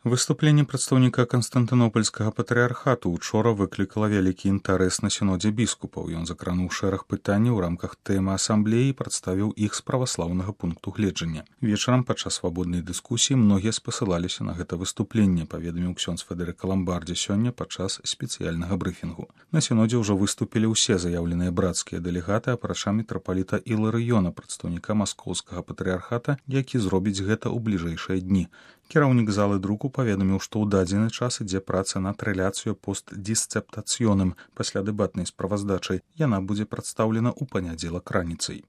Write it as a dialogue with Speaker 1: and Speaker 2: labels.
Speaker 1: Выступленне прадстаўніка Канстантынопольскага патрыархату учора выклікала вялікі інтарэс на сінодзе біскупаў. Ён закрануў шэраг пытанняў у рамках тэмы асамблеі і прадставіў іх з праваслаўнага пункту гледжання. Вечарам падчас свабоднай дыскусіі многія спасылаліся на гэта выступленне, паведаміў ксёндз Федэрыка Ламбардзі сёння падчас спецыяльнага брыфінгу. На сінодзе ўжо выступілі ўсе заяўленыя брацкія дэлегаты, апрача мітрапаліта Іларыёна, прадстаўніка маскоўскага патрыархата, які зробіць гэта ў бліжэйшыя дні. Кіраўнік залы друку паведаміў, што ў дадзены час ідзе праца над рэляцыю постдісцэптацыёным. Пасля дэбатнай справаздачай яна будзе прадстаўлена ў панядзелак раніцай.